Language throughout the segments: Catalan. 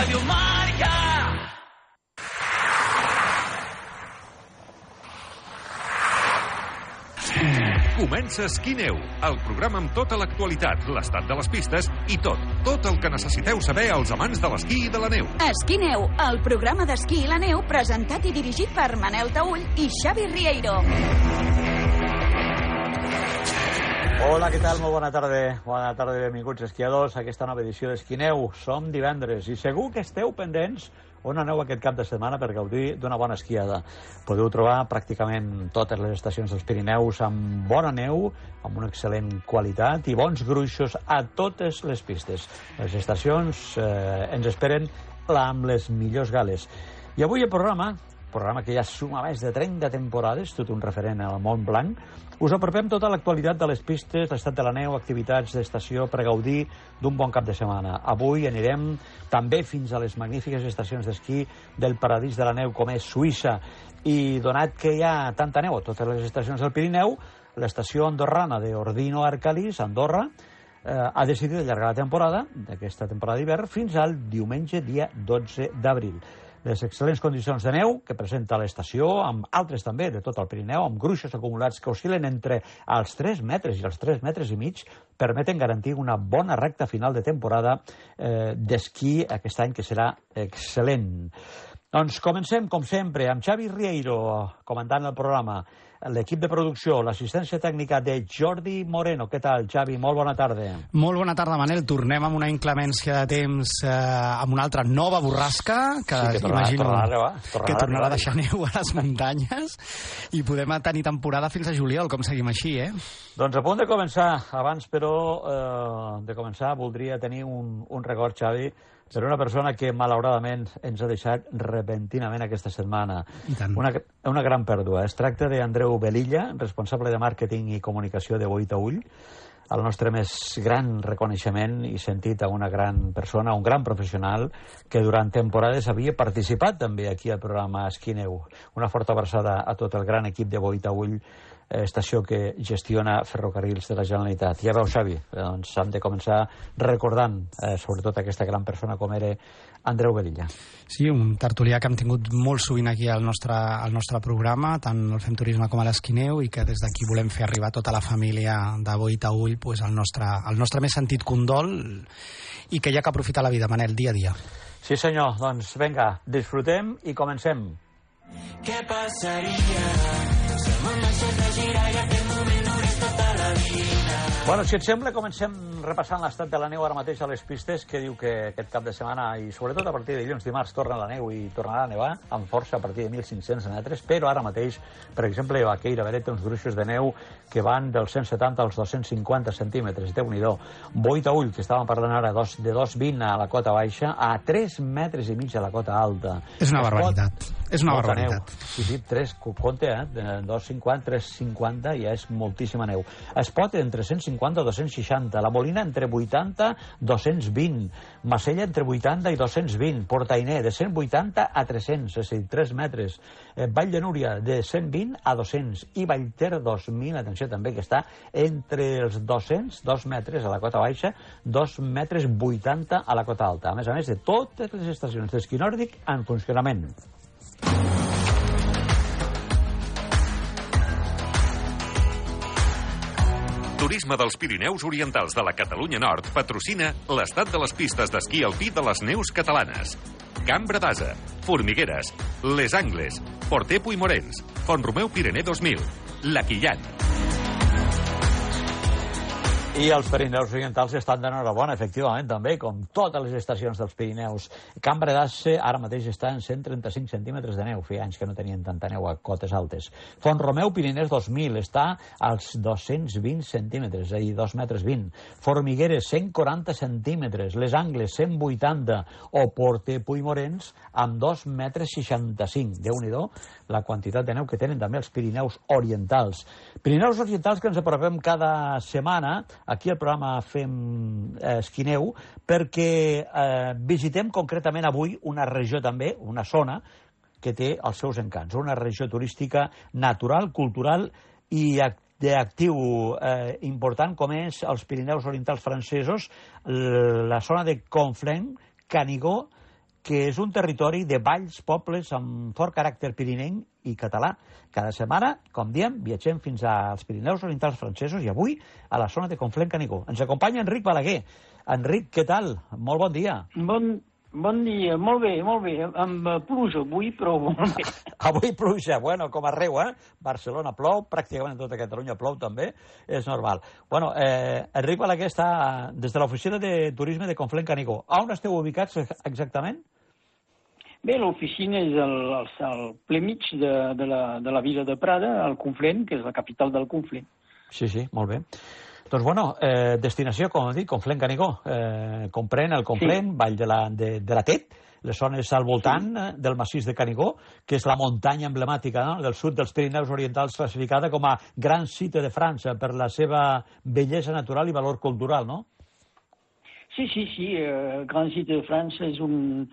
Radio Marca. Comença Esquí-Neu, el programa amb tota l'actualitat, l'estat de les pistes i tot el que necessiteu saber als amants de l'esquí i de la neu. Esquí-Neu, el programa d'esquí i la neu presentat i dirigit per Manel Taüll i Xavi Rieiro. Hola, què tal? Molt bona tarda. Bona tarda i benvinguts esquiadors a aquesta nova edició d'Esquí-Neu. Som divendres i segur que esteu pendents on aneu aquest cap de setmana per gaudir d'una bona esquiada. Podeu trobar pràcticament totes les estacions dels Pirineus amb bona neu, amb una excel·lent qualitat i bons gruixos a totes les pistes. Les estacions ens esperen amb les millors gales. I avui el programa que ja suma més de 30 temporades, tot un referent al Mont Blanc, us apropem tota l'actualitat de les pistes, l'estat de la neu, activitats d'estació per gaudir d'un bon cap de setmana. Avui anirem també fins a les magnífiques estacions d'esquí del paradís de la neu, com és Suïssa. I donat que hi ha tanta neu a totes les estacions del Pirineu, l'estació andorrana d'Ordino Arcalís, Andorra, ha decidit allargar la temporada, d'aquesta temporada d'hivern, fins al diumenge, dia 12 d'abril. Les excel·lents condicions de neu que presenta l'estació, amb altres també de tot el Pirineu, amb gruixos acumulats que oscil·len entre els 3 metres i els 3 metres i mig, permeten garantir una bona recta final de temporada d'esquí aquest any, que serà excel·lent. Doncs comencem, com sempre, amb Xavi Rieiro, comandant el programa, l'equip de producció, l'assistència tècnica de Jordi Moreno. Què tal, Xavi? Molt bona tarda. Molt bona tarda, Manel. Tornem amb una inclemència de temps, amb una altra nova borrasca, que sí, que tornarà a deixar neu a les muntanyes, i podem tenir temporada fins a juliol, com seguim així, eh? Doncs a punt de començar. Abans, però, de començar, voldria tenir un record, Xavi, per una persona que, malauradament, ens ha deixat repentinament aquesta setmana. Una gran pèrdua. Es tracta d'Andreu Velilla, responsable de màrqueting i comunicació de Boi Taüll. El nostre més gran reconeixement i sentit a una gran persona, un gran professional, que durant temporades havia participat també aquí al programa Esquí-Neu. Una forta abraçada a tot el gran equip de Boi Taüll, estació que gestiona Ferrocarrils de la Generalitat. Ja veus, Xavi, doncs hem de començar recordant sobretot aquesta gran persona com era Andreu Velilla. Sí, un tertulià que hem tingut molt sovint aquí al nostre programa, tant el Fem Turisme com a l'Esquí-Neu, i que des d'aquí volem fer arribar a tota la família de Boi Taüll pues, el nostre més sentit condol, i que hi ha que aprofitar la vida, Manel, dia a dia. Sí, senyor. Doncs vinga, disfrutem i comencem. Què passaria si el món deixés de girar i aquest moment durés tota la vida? Bueno, si et sembla, comencem repassant l'estat de la neu ara mateix a les pistes, que diu que aquest cap de setmana, i sobretot a partir de dilluns, dimarts, torna la neu i tornarà a nevar amb força a partir de 1.500 metres, però ara mateix, per exemple, Vaqueira Beret té uns gruixos de neu que van dels 170 als 250 centímetres, Déu-n'hi-do. Boi Taüll, que estàvem parlant ara, de 2,20 a la cota baixa, a 3 metres i mig a la cota alta. És una barbaritat. És una barbaritat. Sí, 3, compte, 2,50, 3,50, ja és moltíssima neu. Es pot entre 150 i 260, la Molina entre 80 i 220, Macella entre 80 i 220, Portainer de 180 a 300, és a dir, 3 metres, Vall de Núria de 120 a 200 i Vallter 2000, atenció també, que està entre els 200, 2 metres a la cota baixa, 2 metres 80 a la cota alta. A més de totes les estacions d'esquí nòrdic en funcionament. Turisme dels Pirineus Orientals de la Catalunya Nord patrocina l'estat de les pistes d'esquí alpí de les neus catalanes. Cambra d'Asa, Formigueres, Les Angles, Porter Puigmorens, Font-romeu Pirener 2000, La Quillan. I els Pirineus Orientals estan d'enhorabona, efectivament, també, com totes les estacions dels Pirineus. Cambra d'Ase ara mateix està en 135 centímetres de neu, feia anys que no tenien tanta neu a cotes altes. Font-romeu Piriners 2000 està als 220 centímetres, és a dir, 2 metres 20. Formigueres, 140 centímetres. Les Angles, 180. O Porter Puigmorens, amb 2 metres 65. Déu-n'hi-do la quantitat de neu que tenen també els Pirineus Orientals. Pirineus Orientals que ens apropem cada setmana. Aquí al programa Fem Esquí-Neu, perquè visitem concretament avui una regió també, una zona, que té els seus encants. Una regió turística natural, cultural i d'actiu important, com és els Pirineus Orientals francesos, la zona de Conflent, Canigó que és un territori de valls, pobles amb fort caràcter pirinenc i català. Cada setmana, com diem, viatgem fins als Pirineus Orientals francesos i avui a la zona de Conflent-Canigó. Ens acompanya Enric Balaguer. Enric, què tal? Molt bon dia. Bon dia, molt bé, amb pluja avui, però molt bé. Avui pluja, bueno, com arreu, Barcelona plou, pràcticament tota Catalunya plou també, és normal. Bueno, Enric Balaguer està des de l'oficina de turisme de Conflent-Canigó. On esteu ubicats exactament? Bé, l'oficina és al ple mig de la vila de Prada, al Conflent, que és la capital del Conflent. Sí, molt bé. Doncs, bueno, destinació, com dic, Conflent-Canigó. Comprèn el Conflent, Vall de la Tet, les zones al voltant del massís de Canigó, que és la muntanya emblemàtica del sud dels Pirineus Orientals, classificada com a Gran Site de França per la seva bellesa natural i valor cultural, no? Sí. Gran Site de França és un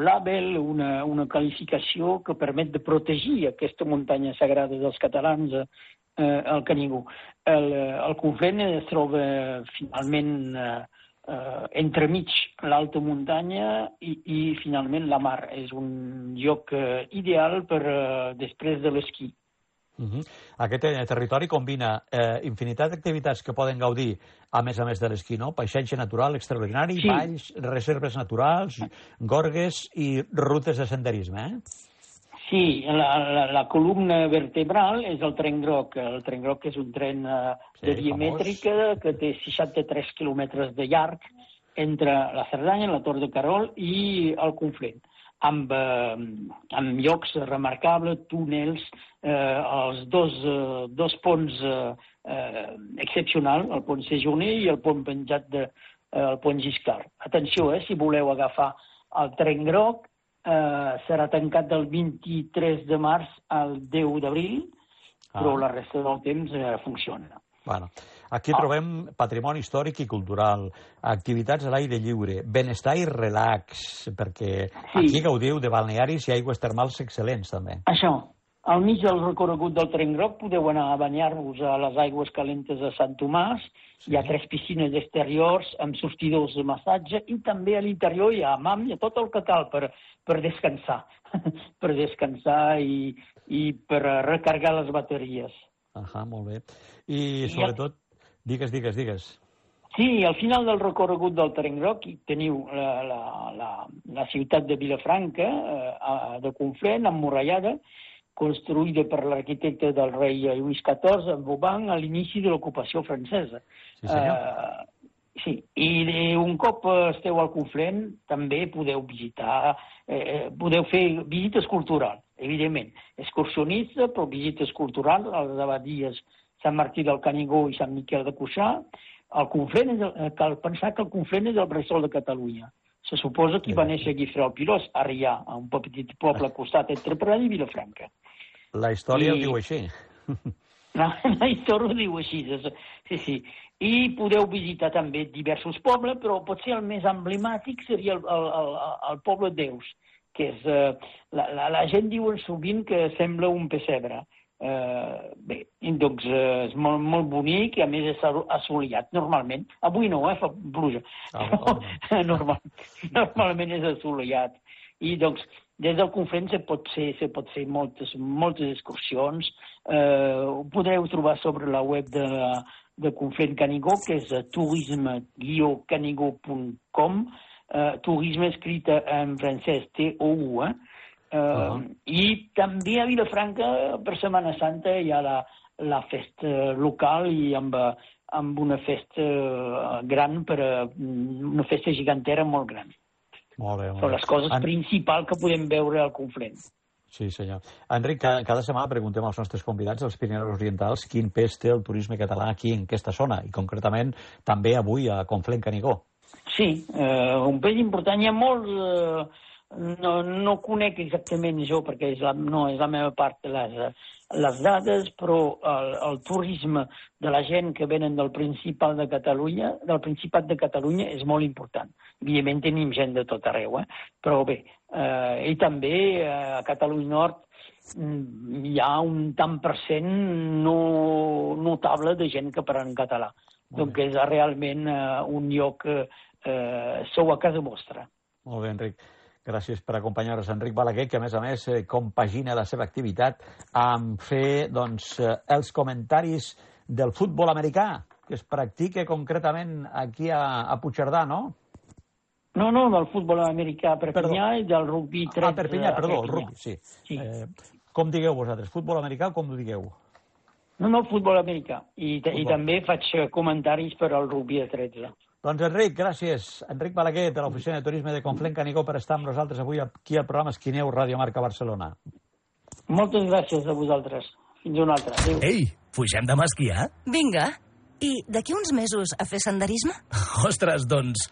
label, una qualificació que permet de protegir aquesta muntanya sagrada dels catalans, el Canigó. El Conflent es troba finalment entremig l'alta muntanya i finalment la mar. És un lloc ideal per després de l'esquí. Aquest territori combina infinitat d'activitats que poden gaudir a més de l'esquí, no? Paisatge natural extraordinari, valls, reserves naturals, gorgues i rutes de senderisme, Sí, la columna vertebral és el tren groc. El tren groc és un tren de diamètrica que té 63 quilòmetres de llarg entre la Cerdanya, la Tor de Carol i el Conflent, amb llocs remarcables, túnels, els dos ponts excepcionals, el pont Séjourné i el pont penjat del pont Giscard. Atenció, si voleu agafar el tren groc, serà tancat del 23 de març al 10 d'abril, però la resta del temps funciona. Bueno, aquí trobem patrimoni històric i cultural, activitats a l'aire lliure, benestar i relax, perquè aquí gaudiu de balnearis i aigües termals excel·lents, també. Això. Al mig del recorregut del tren groc podeu anar a banyar-vos a les aigües calentes de Sant Tomàs. Hi ha 3 piscines exteriors amb sortidors de massatge i també a l'interior hi ha hammam, hi ha tot el que cal per descansar. Per descansar i per recarregar les bateries. Molt bé. I sobretot, digues. Sí, al final del recorregut del tren groc teniu la ciutat de Vilafranca, de Conflent, emmurallada, construïda per l'arquitecte del rei Lluís XIV, en Vauban, a l'inici de l'ocupació francesa. Sí, senyor. I un cop esteu al Conflent, també podeu visitar, podeu fer visites culturals, evidentment. Excursionista, però visites culturals a les abadies Sant Martí del Canigó i Sant Miquel de Cuixà. Cal pensar que el Conflent és el bressol de Catalunya. Se suposa que hi va néixer Guifré el Pilós, a Rià, a un petit poble al costat entre Prada i Vilafranca. La història ho diu així. La història ho diu així, sí. I podeu visitar també diversos pobles, però potser el més emblemàtic seria el poble Deus, que és... La gent diuen sovint que sembla un pessebre. Bé, doncs és molt bonic i a més és assolellat normalment. Avui no, fa pluja. Normalment és assolellat. I doncs des del Conflent se pot fer moltes excursions. Ho podreu trobar sobre la web de Conflent-Canigó, que és tourisme-canigó.com. Turisme escrita en francès, T-O-U, I també a Vilafranca, per Setmana Santa, hi ha la festa local i amb una festa gran, una festa gegantera molt gran. Molt bé. Són les coses principals que podem veure al Conflent. Sí, senyor. Enric, cada setmana preguntem als nostres convidats dels Pirineus Orientals quin pes té el turisme català aquí en aquesta zona i concretament també avui a Conflent-Canigó. Sí, un pes important. Hi ha molts... No conec exactament jo, perquè no és la meva part les dades, però el turisme de la gent que venen del Principat de Catalunya és molt important. Evidentment tenim gent de tot arreu, però bé, i també a Catalunya Nord hi ha un tant per cent notable de gent que parla en català. Donc és realment un lloc, sou a casa vostra. Molt bé, Enric. Gràcies per acompanyar-nos. Enric Balaguer, que a més compagina la seva activitat amb fer els comentaris del futbol americà, que es practica concretament aquí a Puigcerdà, no? No, del futbol americà a Perpinyà i del rugby 13. Perpinyà, perdó, el rugby, sí. Com digueu vosaltres, futbol americà o com ho digueu? No, futbol americà. I també faig comentaris per al rugby de 13. Doncs Enric, gràcies. Enric Balaguer, de l'Oficina de Turisme de Conflent Canigó, per estar amb nosaltres avui aquí al programa Esquineu, Ràdio Marca Barcelona. Moltes gràcies a vosaltres. Fins una altra. Adéu. Ei, pugem demà a esquiar? Vinga. I d'aquí uns mesos a fer senderisme? Ostres, doncs,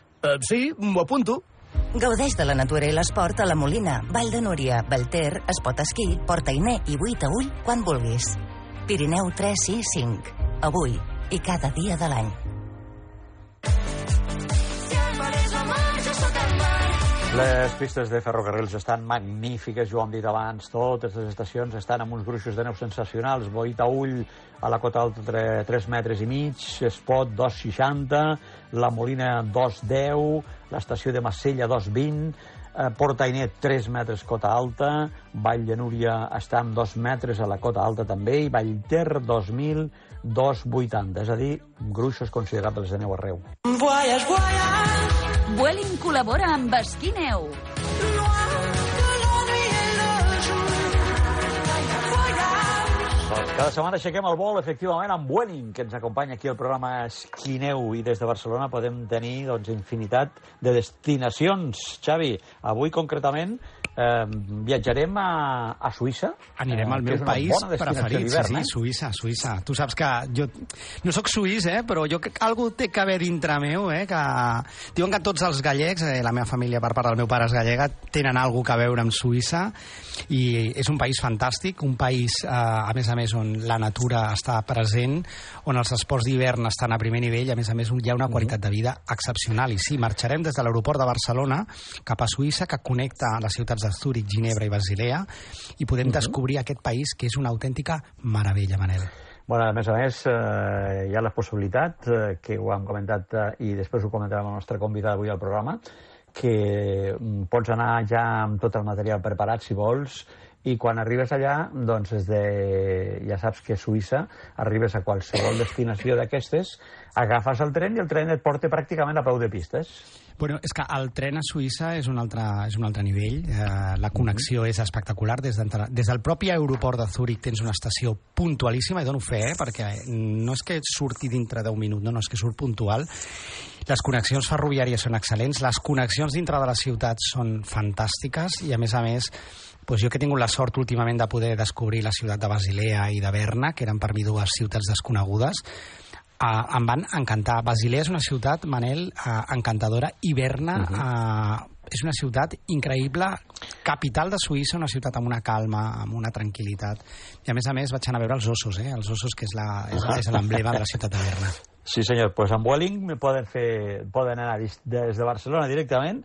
sí, m'ho apunto. Gaudeix de la natura i l'esport a la Molina, Vall de Núria, Belter, Espot Esquí, Port Ainé i Buitaüll quan vulguis. Pirineu 3, 6, 5. Avui i cada dia de l'any. Les pistes de ferrocarrils estan magnífiques, ja ho hem dit abans, totes les estacions estan amb uns gruixos de neu sensacionals. Boitaüll a la Cota Alta 3,5 metres, Espot 2,60, la Molina 2,10, l'estació de Massella 2,20, Port Ainé 3 metres Cota Alta, Vall de Núria està amb 2 metres a la Cota Alta també, i Vallter 2.000, 2,80, és a dir, gruixos considerables de neu arreu. Vueling col·labora amb Esquineu. Cada setmana aixequem el vol, efectivament, amb Vueling, que ens acompanya aquí al programa Esquineu, i des de Barcelona podem tenir infinitat de destinacions. Xavi, avui concretament viatjarem a Suïssa. Anirem al meu país preferit, Suïssa. Tu saps que jo no sóc suís, però jo algú té que haver dintre meu, que diuen que tots els gallecs, la meva família per part del meu pare és gallega, tenen alguna cosa a veure amb Suïssa, i és un país fantàstic, un país, a més, on la natura està present, on els esports d'hivern estan a primer nivell, a més, hi ha una qualitat de vida excepcional. I sí, marxarem des de l'aeroport de Barcelona cap a Suïssa, que connecta les ciutats de Zúrich, Ginebra i Basilea, i podem descobrir aquest país que és una autèntica meravella, Manel. Bueno, a més, hi ha la possibilitat, que ho hem comentat i després ho comentarem amb el nostre convidat avui al programa, que pots anar ja amb tot el material preparat, si vols, i quan arribes allà, doncs ja saps que a Suïssa arribes a qualsevol destinació d'aquestes, agafes el tren i el tren et porta pràcticament a peu de pistes. Bueno, és que el tren a Suïssa és un altre nivell. La connexió és espectacular. Des del propi aeroport de Zúrich tens una estació puntualíssima, i dono fe, perquè no és que surti dintre d'1 minut, no, és que surt puntual. Les connexions ferroviàries són excel·lents, les connexions dintre de la ciutat són fantàstiques, i a més, doncs jo que he tingut la sort últimament de poder descobrir la ciutat de Basilea i de Berna, que eren per mi dues ciutats desconegudes, em van encantar. Basilea és una ciutat, Manel, encantadora, i Berna és una ciutat increïble, capital de Suïssa, una ciutat amb una calma, amb una tranquil·litat. I a més vaig anar a veure els ossos, els ossos, que és l'emblema de la ciutat de Berna. Sí, senyor, doncs amb Vueling poden anar des de Barcelona directament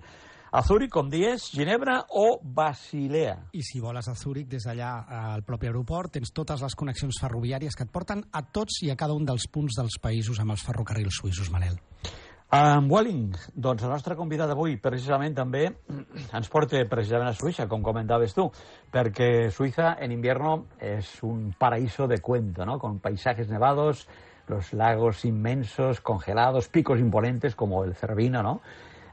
a Zúrich, com dius, Ginebra o Basilea. I si voles a Zúrich, des d'allà al propi aeroport, tens totes les connexions ferroviàries que et porten a tots i a cada un dels punts dels països amb els ferrocarrils suïssos, Manel. Amb Vueling, doncs el nostre convidat d'avui precisament també ens porta precisament a Suïssa, com comentaves tu, perquè Suïssa en invierno és un paraíso de cuento, ¿no? Con paisajes nevados, los lagos inmensos, congelados, picos imponentes como el Cervino, ¿no?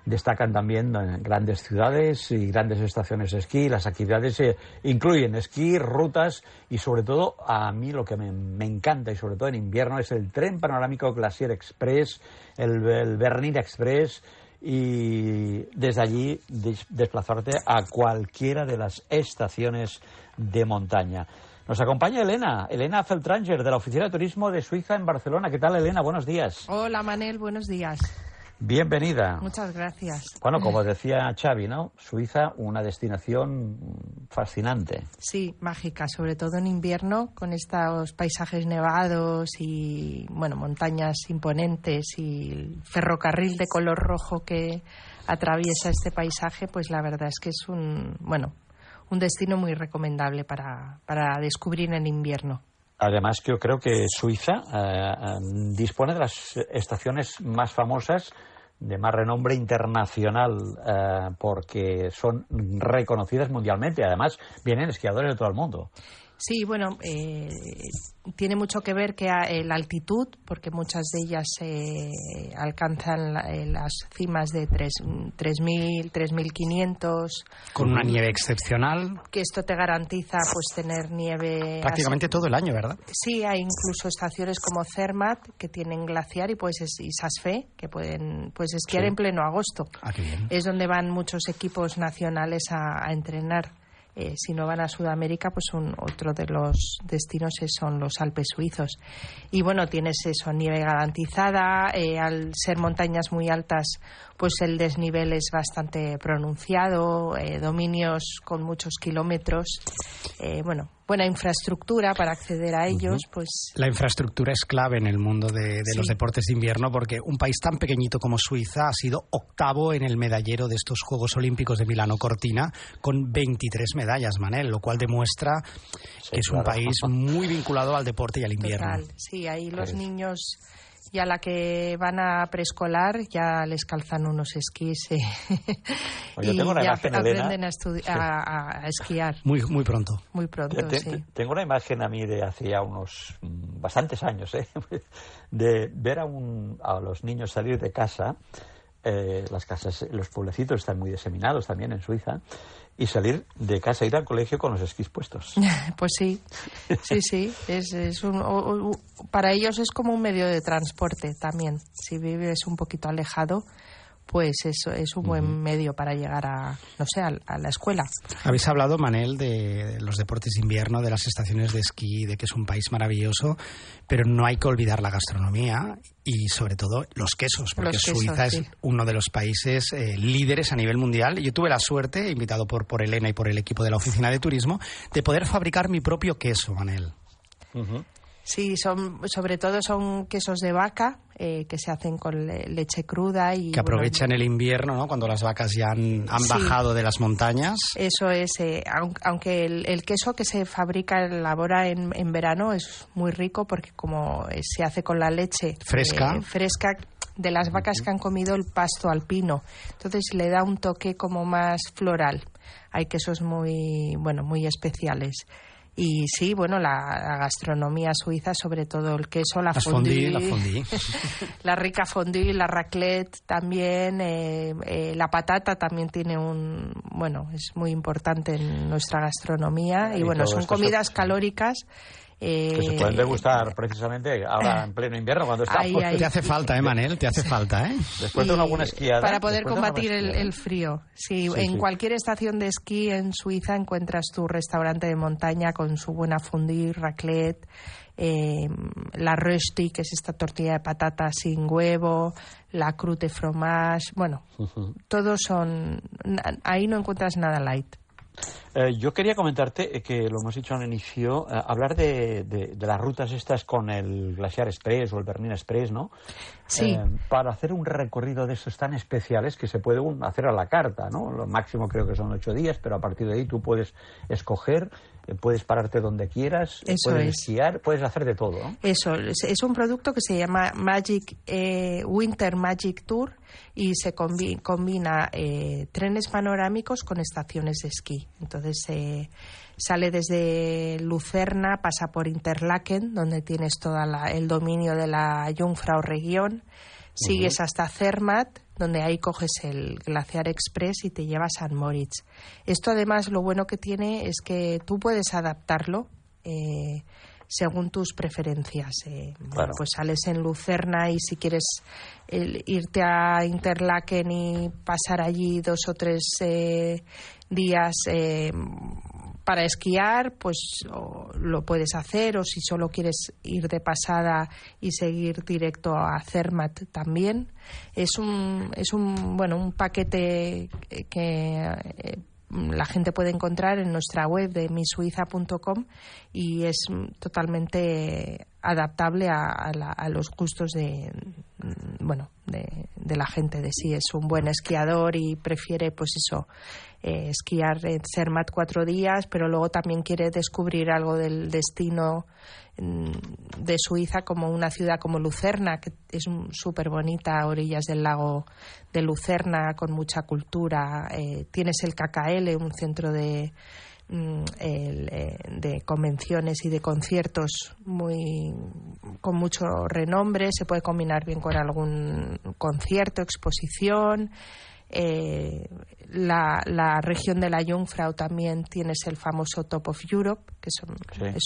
Destacan también grandes ciudades y grandes estaciones de esquí. Las actividades incluyen esquí, rutas y sobre todo, a mí lo que me encanta, y sobre todo en invierno, es el tren panorámico Glacier Express, el Bernina Express, y desde allí desplazarte a cualquiera de las estaciones de montaña. Nos acompaña Elena Feltranger, de la Oficina de Turismo de Suiza en Barcelona. ¿Qué tal, Elena? Buenos días. Hola, Manel. Buenos días. Bienvenida. Muchas gracias. Bueno, como decía Xavi, ¿no? Suiza, una destinación fascinante. Sí, mágica, sobre todo en invierno, con estos paisajes nevados y, bueno, montañas imponentes y el ferrocarril de color rojo que atraviesa este paisaje, pues la verdad es que es un destino muy recomendable para descubrir en invierno. Además, yo creo que Suiza dispone de las estaciones más famosas de más renombre internacional, porque son reconocidas mundialmente. Además, vienen esquiadores de todo el mundo. Sí, bueno, tiene mucho que ver que la altitud, porque muchas de ellas alcanzan las cimas de 3.000, 3.500. Con una nieve excepcional. Que esto te garantiza pues tener nieve... Prácticamente todo el año, ¿verdad? Sí, hay incluso estaciones como Zermatt que tienen glaciar y Sasfe que pueden esquiar en pleno agosto. Ah, qué bien. Es donde van muchos equipos nacionales a entrenar. Si no van a Sudamérica, pues otro de los destinos son los Alpes suizos. Y bueno, tienes eso, nieve garantizada. Al ser montañas muy altas, pues el desnivel es bastante pronunciado, dominios con muchos kilómetros. Buena infraestructura para acceder a ellos. Pues la infraestructura es clave en el mundo de los deportes de invierno, porque un país tan pequeñito como Suiza ha sido octavo en el medallero de estos Juegos Olímpicos de Milano Cortina con 23 medallas, Manel, lo cual demuestra que es un país muy vinculado al deporte y al invierno. Total. Sí, ahí los niños ya la que van a preescolar ya les calzan unos esquís y ya aprenden a esquiar. Muy pronto. Muy pronto, sí. Tengo una imagen a mí de hace ya unos bastantes años, de ver a los niños salir de casa. Las casas, los pueblecitos están muy diseminados también en Suiza, y salir de casa, ir al colegio con los esquís puestos. Pues sí. Para ellos es como un medio de transporte también. Si vives un poquito alejado, pues es un buen medio para llegar a la escuela. Habéis hablado, Manel, de los deportes de invierno, de las estaciones de esquí, de que es un país maravilloso, pero no hay que olvidar la gastronomía y sobre todo los quesos, porque Suiza es uno de los países líderes a nivel mundial. Yo tuve la suerte, invitado por Elena y por el equipo de la oficina de turismo, de poder fabricar mi propio queso, Manel. Sí, sobre todo son quesos de vaca que se hacen con leche cruda y que aprovechan el invierno, ¿no? Cuando las vacas ya han bajado de las montañas. Eso es, aunque el queso que se fabrica, elabora en verano es muy rico porque como se hace con la leche fresca de las vacas que han comido el pasto alpino, entonces le da un toque como más floral. Hay quesos muy especiales. Y sí, la gastronomía suiza, sobre todo el queso, la fondue, la rica fondue, la raclette también, la patata también tiene es muy importante en nuestra gastronomía y son comidas calóricas. Que se pueden degustar precisamente ahora en pleno invierno cuando estamos. Te hace falta, Manel, te hace falta, Después de una buena esquiada. Para poder combatir el frío. Sí, en cualquier estación de esquí en Suiza encuentras tu restaurante de montaña con su buena fondue, raclette, la rösti, que es esta tortilla de patata sin huevo, la croûte fromage, todos son... Ahí no encuentras nada light. Yo quería comentarte que lo hemos dicho al inicio, hablar de las rutas estas con el Glaciar Express o el Bernina Express, ¿no? Sí. Para hacer un recorrido de esos tan especiales que se puede hacer a la carta, ¿no? Lo máximo creo que son 8 días, pero a partir de ahí tú puedes escoger, puedes pararte donde quieras, puedes esquiar, puedes hacer de todo, ¿no? Eso, es un producto que se llama Winter Magic Tour y se combina trenes panorámicos con estaciones de esquí. Entonces sale desde Lucerna, pasa por Interlaken, donde tienes todo el dominio de la Jungfrau-Region, sigues hasta Zermatt, donde ahí coges el Glaciar Express y te lleva a St. Moritz. Esto además lo bueno que tiene es que tú puedes adaptarlo según tus preferencias. Pues sales en Lucerna y si quieres irte a Interlaken y pasar allí 2 o 3 días para esquiar, pues lo puedes hacer, o si solo quieres ir de pasada y seguir directo a Zermatt también. Es un paquete que la gente puede encontrar en nuestra web de misuiza.com y es totalmente adaptable a los gustos de la gente. De si es un buen esquiador y prefiere esquiar en Zermatt 4 días, pero luego también quiere descubrir algo del destino de Suiza, como una ciudad como Lucerna, que es súper bonita a orillas del lago de Lucerna, con mucha cultura. Tienes el KKL, un centro de convenciones y de conciertos con mucho renombre. Se puede combinar bien con algún concierto, exposición. La región de la Jungfrau también tienes el famoso Top of Europe, que es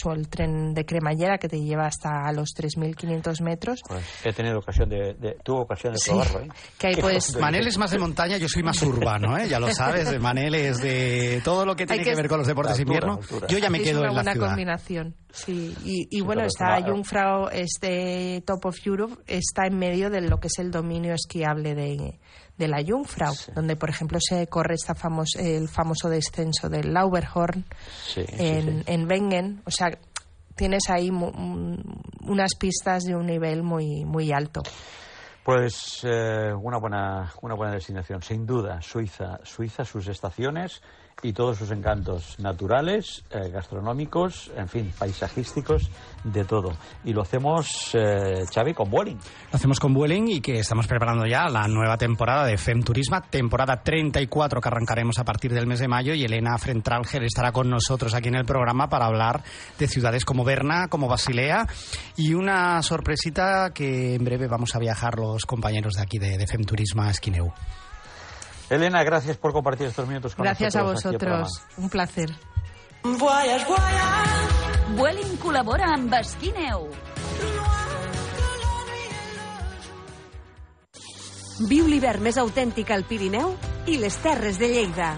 el tren de cremallera que te lleva hasta los 3.500 metros. Pues he tenido ocasión tuve ocasión de probarlo. Que ahí Manel es más de montaña, yo soy más urbano, ya lo sabes. Manel es de todo lo que tiene que ver con los deportes de invierno. Yo ya me quedo en la ciudad. Es una buena combinación. Sí. Y bueno, esta Jungfrau, este Top of Europe, está en medio de lo que es el dominio esquiable de la Jungfrau, donde por ejemplo se corre el famoso descenso del Lauberhorn en Wengen. O sea, tienes ahí unas pistas de un nivel muy, muy alto. Pues una buena destinación, sin duda. Suiza, sus estaciones y todos sus encantos naturales, gastronómicos, en fin, paisajísticos, de todo. Y lo hacemos, Xavi, con Vueling. Lo hacemos con Vueling y que estamos preparando ya la nueva temporada de Fem Turisma, temporada 34, que arrancaremos a partir del mes de mayo, y Elena Frentralger estará con nosotros aquí en el programa para hablar de ciudades como Berna, como Basilea, y una sorpresita que en breve vamos a viajar los compañeros de aquí de Fem Turisma Esquineu. Elena, gracias por compartir estos minutos con nosotros. Gracias a vosotros, un placer. Vueling col·labora amb Esquineu. Viu l'hivern més autèntic al Pirineu i les Terres de Lleida.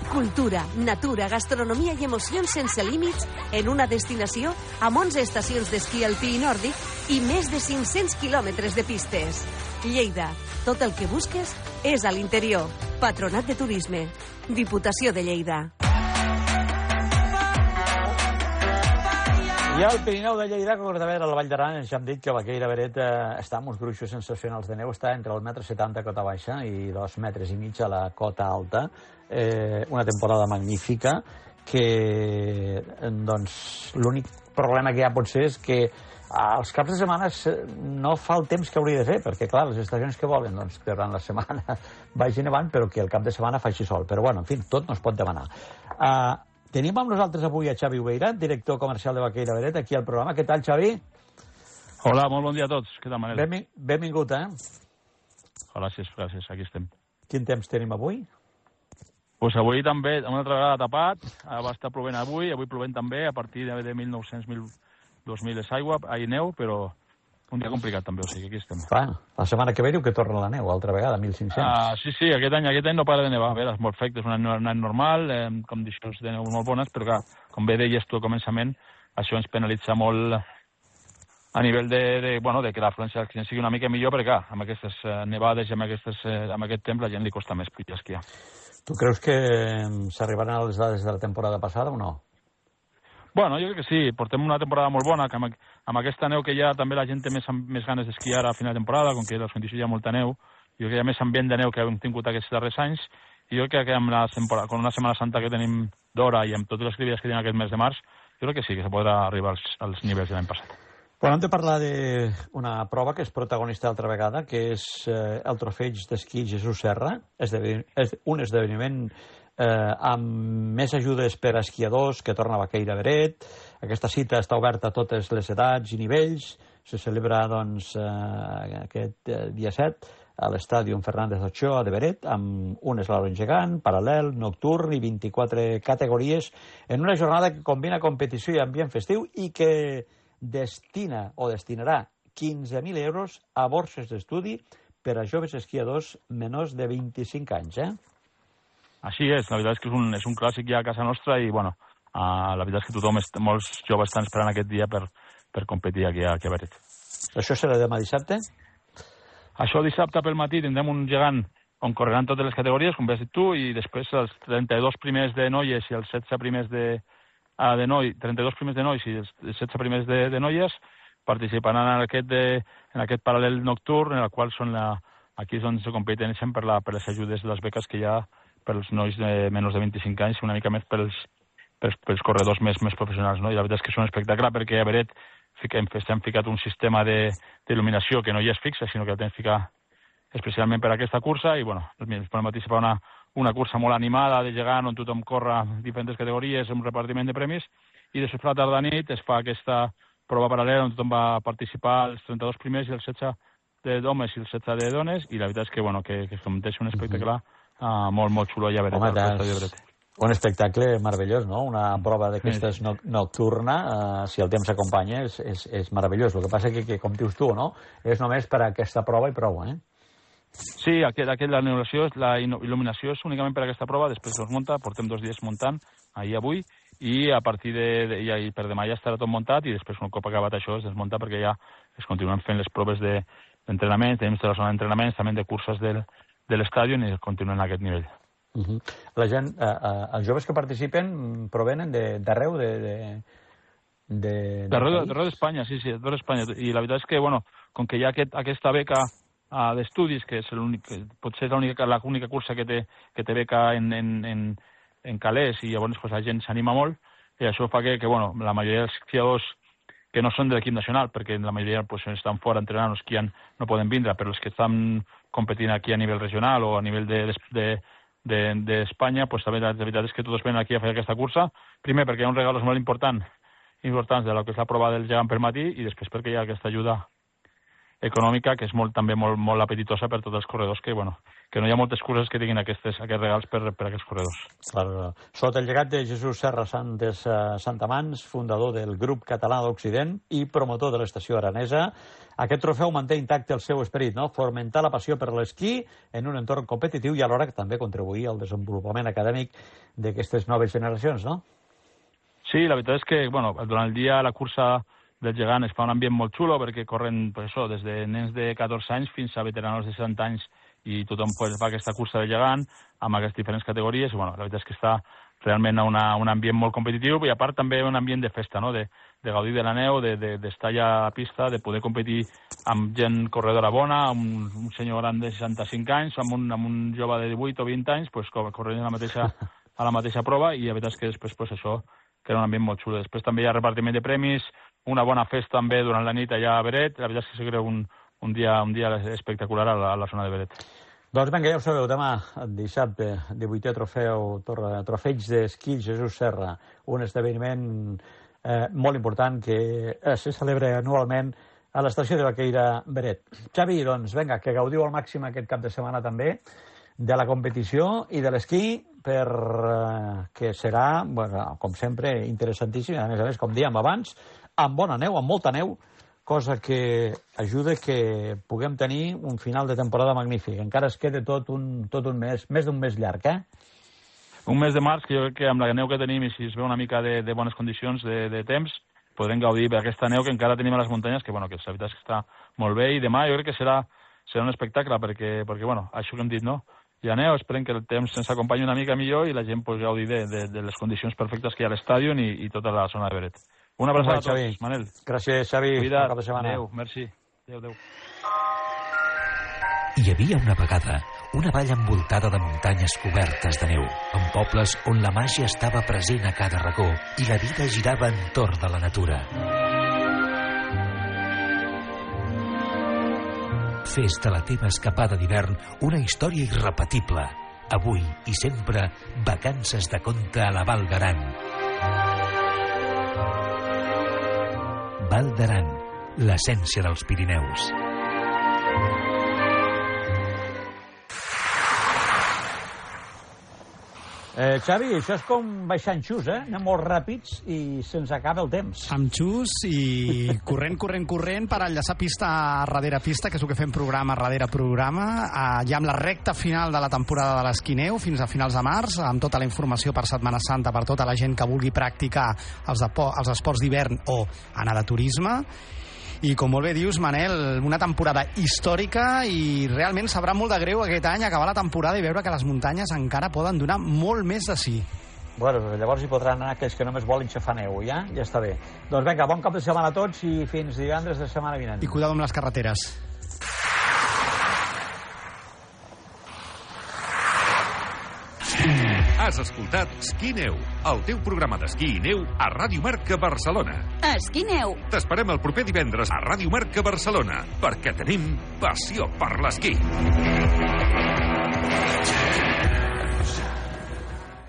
Cultura, natura, gastronomia i emocions sense límits en una destinació amb 11 estacions d'esquí alpí i nòrdic i més de 500 quilòmetres de pistes. Lleida, tot el que busques és a l'interior. Patronat de Turisme, Diputació de Lleida. I al Pirineu de Lleida, concretament a la Vall d'Aran, ens han dit que Baqueira Beret està amb uns gruixos sensacionals de neu, està entre el 1,70 m cota baixa i 2,5 metres a la cota alta. Una temporada magnífica que, doncs, l'únic problema que hi ha potser és que als caps de setmana no fa el temps que hauria de fer, perquè, clar, les estacions que volen, doncs, que durant la setmana vagi nevant, però que el cap de setmana faci sol. Però, bueno, en fi, tot no es pot demanar. Tenim amb nosaltres avui a Xavi Ubeirat, director comercial de Baqueira Beret, aquí al programa. Què tal, Xavi? Hola, molt bon dia a tots. Què tal, Manel? Benvingut, Gràcies, aquí estem. Quin temps tenim avui? Pues avui també, una altra vegada tapat, va estar plovent avui plovent també, a partir de 1.900, 2.000 és aigua, neu, però un dia complicat també, o sigui, aquí estem. Clar, la setmana que ve diu que torna la neu, altra vegada, 1.500. Sí, aquest any no para de nevar. A veure, és molt fred, és un any normal, condicions de neu molt bones, però clar, com bé deies tu al començament, això ens penalitza molt a nivell de que l'afluència sigui una mica millor, perquè clar, amb aquestes nevades i amb aquest temps la gent li costa més pujar a esquiar. Tu creus que s'arribaran a les dades de la temporada passada o no? Bueno, jo crec que sí. Portem una temporada molt bona, que amb aquesta neu que ja també la gent té més ganes d'esquiar a final de temporada, com que les condicions hi ha molta neu. Jo crec que hi ha més ambient de neu que hem tingut aquests darrers anys, i jo crec que amb una Setmana Santa que tenim d'hora i amb totes les activitats que tenim aquest mes de març, jo crec que sí, que se podrà arribar als nivells de l'any passat. Bueno, hem de parlar d'una prova que és protagonista altra vegada, que és el Trofeig d'Esquí Jesús Serra. És un esdeveniment amb més ajudes per a esquiadors que torna a Baqueira Beret. Aquesta cita està oberta a totes les edats i nivells. Se celebra doncs, aquest dia 7 a l'estàdium Fernández Ochoa de Beret, amb un eslalom gegant, paral·lel, nocturn i 24 categories, en una jornada que combina competició i ambient festiu i que destinarà 15.000 euros a borses d'estudi per a joves esquiadors menors de 25 anys. Així és, la veritat és que és un clàssic ja a casa nostra i, bueno, la veritat és que molts joves estan esperant aquest dia per competir aquí a Beret. Això serà demà dissabte? Això dissabte pel matí tindrem un gegant on correran totes les categories, com has dit tu, i després els 32 primers de noies i els 16 primers 32 primers de nois i els 16 primers de noies participaran en aquest paral·lel nocturn, en el qual aquí és on se competeixen per les ajudes de les beques que hi ha per als nois de menys de 25 anys, una mica més per pels corredors més professionals, no? I la veritat és que és un espectacle perquè a Beret hem ficat un sistema d'il·luminació que no ja és fixa, sinó que el tens ficat especialment per a aquesta cursa i, bueno, per mateix fa una cursa molt animada de gegant on tothom corre diferents categories, un repartiment de premis i després per la tarda nit es fa aquesta prova paral·lela on tothom va participar els 32 primers i els 16 d'homes i els 16 de dones i la veritat és que, bueno, que es converteix un espectacle molt xulo allà a Beret. Un espectacle meravellós, no? Una prova d'aquestes nocturna, si el temps s'acompanya, és meravellós. El que passa que, com dius tu, no? És només per a aquesta prova i prou, eh? Sí, la il·luminació és únicament per a aquesta prova, després es munta, portem 2 dies muntant, ahir avui, i a partir per demà ja estarà tot muntat i després un cop acabat això es desmunta perquè ja es continuen fent les proves d'entrenament, tenim tota la zona d'entrenaments, també de curses de l'estadi i continuen a aquest nivell. La gent, els joves que participen provenen d'arreu d'arreu d'Espanya, sí, d'arreu d'Espanya. I la veritat és que, bueno, com que hi ha aquesta beca d'estudis, que és potser és l'única cursa que té beca en calés i llavors pues, la gent s'anima molt i això fa que bueno, la majoria dels esquiadors que no són de l'equip nacional, perquè la majoria pues, estan fora entrenant o esquiant, no poden vindre, però els que estan competint aquí a nivell regional o a nivell d'Espanya, pues, també la veritat és que tots venen aquí a fer aquesta cursa. Primer, perquè hi ha uns regalos molt importants de la que és la prova del gegant per matí i després perquè hi ha aquesta ajuda econòmica que és també molt apetitosa per tots els corredors que no hi ha moltes curses que tinguin aquests regals per aquests corredors. Clar. Sota el llegat de Jesús Serra Santamans, fundador del grup català d'Occident i promotor de l'estació aranesa, aquest trofeu manté intacte el seu esperit, no? Fomentar la passió per l'esquí en un entorn competitiu i alhora també contribuir al desenvolupament acadèmic d'aquestes noves generacions, no? Sí, la veritat és que durant el dia la cursa del gegant es fa un ambient molt xulo perquè corren des de nens de 14 anys fins a veteranos de 60 anys i tothom fa aquesta cursa de gegant amb aquestes diferents categories i la veritat és que està realment un ambient molt competitiu i a part també un ambient de festa, no? De gaudir de la neu, d'estar allà a la pista, de poder competir amb gent corredora bona, amb un senyor gran de 65 anys, amb un jove de 18 o 20 anys corrent a la mateixa prova i la veritat és que després això crea un ambient molt xulo. Després també hi ha repartiment de premis, una bona festa també durant la nit allà a Beret. La veritat és que se crea un dia espectacular a la zona de Beret. Doncs vinga, ja ho sabeu, demà, dissabte, 18è trofeig d'esquí Jesús Serra, un esdeveniment molt important que se celebra anualment a l'estació de Baqueira Beret. Xavi, doncs vinga, que gaudiu al màxim aquest cap de setmana també de la competició i de l'esquí que serà, com sempre, interessantíssim, a més, com dèiem abans, amb bona neu, amb molta neu, cosa que ajuda que puguem tenir un final de temporada magnífic. Encara es queda tot un mes, més d'un mes llarg, eh? Un mes de març, que jo crec que amb la neu que tenim i si es veu una mica de bones condicions de temps, podrem gaudir d'aquesta neu que encara tenim a les muntanyes, que la veritat és que està molt bé, i demà jo crec que serà un espectacle, perquè això que hem dit, no? Hi ha neu, esperem que el temps ens acompanyi una mica millor i la gent pugui gaudir de les condicions perfectes que hi ha a l'estadi i tota la zona de Beret. Una abraçada a tots, Manel. Gràcies, Xavi. Cuida't. Adéu, merci. Adéu. Hi havia una vegada una vall envoltada de muntanyes cobertes de neu, amb pobles on la màgia estava present a cada racó i la vida girava entorn de la natura. Fes de la teva escapada d'hivern una història irrepetible. Avui i sempre, vacances de conte a la Val d'Aran. Val d'Aran, l'essència dels Pirineus. Xavi, això és com baixar en xus, eh? Anem molt ràpids i se'ns acaba el temps. Amb xus i corrent per enllaçar pista darrere pista, que és el que fem programa darrere programa, ja amb la recta final de la temporada de l'esquineu fins a finals de març, amb tota la informació per Setmana Santa per tota la gent que vulgui practicar els esports d'hivern o anar de turisme. I com molt bé dius, Manel, una temporada històrica i realment sabrà molt de greu aquest any acabar la temporada i veure que les muntanyes encara poden donar molt més de sí. Bueno, llavors hi podran anar aquells que només volen xafar neu, ja està bé. Doncs vinga, bon cap de setmana a tots i fins divendres de setmana vinent. I cuidado amb les carreteres. Has Has escoltat Esquí Neu, el teu programa d'esquí i neu a Ràdio Marca Barcelona. Esquí Neu. T'esperem el proper divendres a Ràdio Marca Barcelona, perquè tenim passió per l'esquí.